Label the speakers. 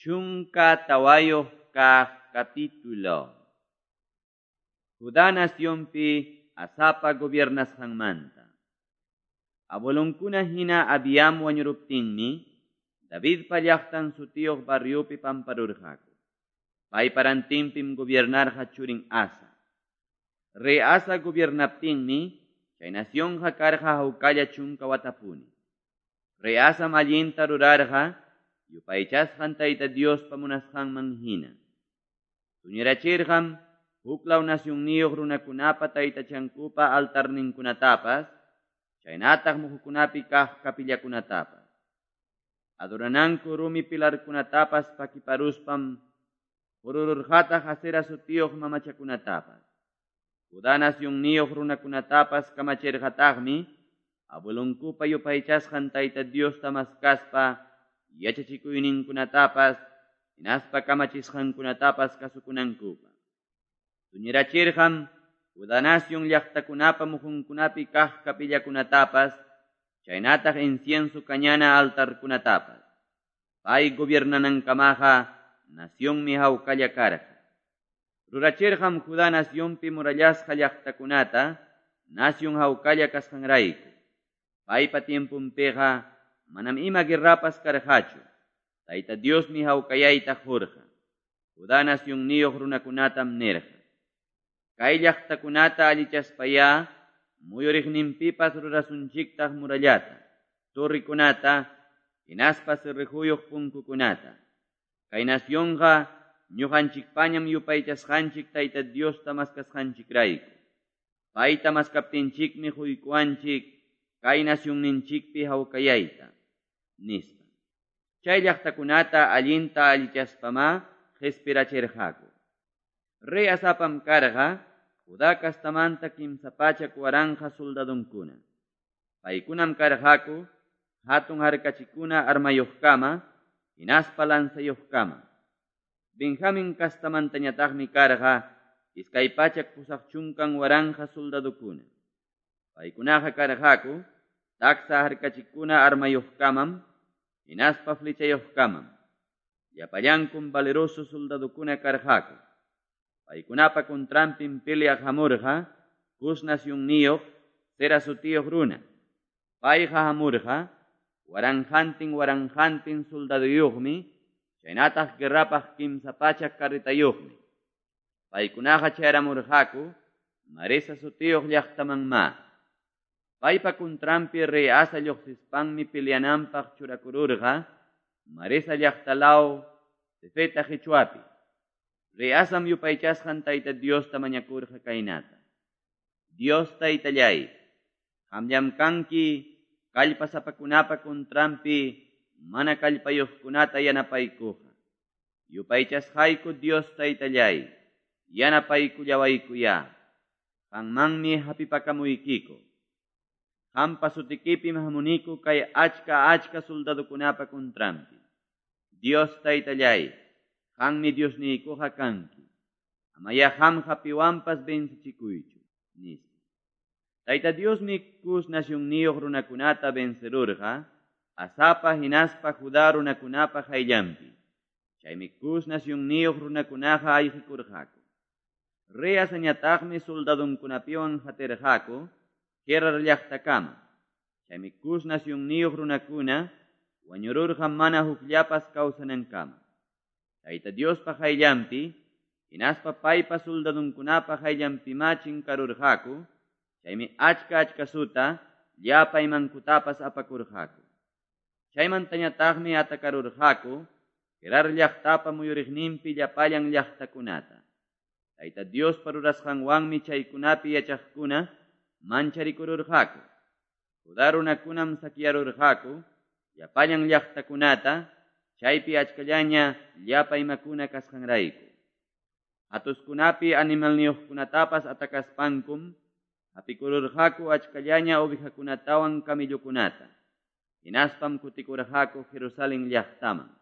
Speaker 1: 14 kaq capítulo. Judá nacionpi Asapa gobiernasqanmanta. Abuelonkuna hina Abiam wañuruptinmi, Davidpa llaqtan sutiyuq barriopi pamparurqaku. Paypa rantinpim gobiernarqa churin Asa. Rey Asa gobiernaptinmi, chay nacionqa karqa hawkalla chunka watapuni. Rey Asam allinta rurarqa, yupaychasqan Tayta Diospa munasqanman hina. Tuñirachirqam huklaw nacionniyuq runakunapa taytachankupa altarninkunatapas, chaynataq muhukunapi kaq kapillakunatapas. Adorananku rumi pilarkunatapas pakiparuspam qurururqataq Asera sutiyuq mamachakunatapas. Judá nacionniyuq runakunatapas kamachirqataqmi abuelonkupa yupaychasqan Tayta Diosta maskaspa yachachikuyninkunatapas hinaspa kamachisqankunatapas kasukunankupaq. Tuñirachirqam Judá nacion llaqtakunapa muhunkunapi kaq kapillakunatapas, chaynataq incienso kañana altarkunatapas. Pay gobiernanankamaqa nacionmi hawkalla karqa. Rurachirqam Judá nacionpi murallasqa llaqtakunata, nacion hawkalla kasqanrayku. Paypa tiemponpiqa manam ima guerrapas karqachu. Tayta Diosmi hawkayayta qurqa. Judá nacionniyuq runakunatam nirqa: Kay llaqtakunata allichaspayá muyuriqninpipas rurasunchiktaq murallata, torrikunata, hinaspa cerrejuyuq punkukunata. Kay nacionqa ñuqanchikpañam yupaychasqanchik Tayta Diosta maskasqanchikrayku. Payta maskaptinchikmi quykuwanchik kay nacionninchikpi hawkayayta, nispa. Chay llaqtakunata allinta allichaspamá qhispirachirqaku. Rey Asapam karqa Judá kastamanta 300,000 soldadonkuna. Paykunam karqaku hatun harkachikuna armayuqkama, hinaspa lanzayuqkama. Benjamin kastamantañataqmi karqa 280,000 soldadokuna. Paykunaqa karqaku taksa harkachikuna armayuqkamam, hinaspa flechayuqkamam. Llapallankum valeroso soldadokuna karqaku. Paykunapa contranpim peleaq hamurqa Cus nacionniyuq Zera sutiyuq runa. Payqa hamurqa waranqantin waranqantin soldaduyuqmi, chaynataq guerrapaq 300 carretayuqmi. Paykunaqa chayramurqaku Maresa sutiyuq llaqtamanmá. Paypa contranpi rey Asa lluqsispanmi peleananpaq churakururqa Maresa llaqtalaw Sefeta qichwapi. Rey Asam yupaychasqan Tayta Diosta mañakurqa kaynata: Dios Taytallay, qamllam kanki kallpasapakunapa contranpi mana kallpayuqkunata yanapaykuqa. Yupaychasqayku Dios Taytallay, yanapaykullawaykuyá. Qanmanmi hapipakamuykiku. Qampa sutikipim hamuniku kay achka achka soldadokunapa contranpi. Dios Taytallay, qanmi Diosniykuqa kanki. Amaya qamqa piwanpas vencichikuychu, nispa. Tayta Diosmi Cus nacionniyuq runakunata vencerurqa Asapa hinaspa Judá runakunapa qayllanpi. Chaymi Cus nacionniyuq runakunaqa ayqikurqaku. Rey Asañataqmi soldadonkunapiwan hatirqaku Gerar llaqtakama. Chaymi Cus nacionniyuq runakuna wañururqa mana hukllapas kawsanankama. Tayta Diospa qayllanpi, hinaspa paypa soldadonkunapa qayllanpimá chinkarurqaku, chaymi achka achkasuta llapa imankutapas apakurqaku. Chaymantañataqmi atakarurqaku Gerar llaqtapa muyuriqninpi llapallan llaqtakunata. Tayta Diospa rurasqanwanmi chaykunapi yachaqkuna mancharikururqaku. Judá runakunam sakyarurqaku llapallan llaqtakunata, chaypi achkallaña llapa imakuna kasqanrayku. Hatuskunapi animalniyuqkunatapas atakaspankum hapikururqaku achkallaña ovejakunatawan camellokunata. Hinaspam kutikurqaku Jerusalén llaqtaman.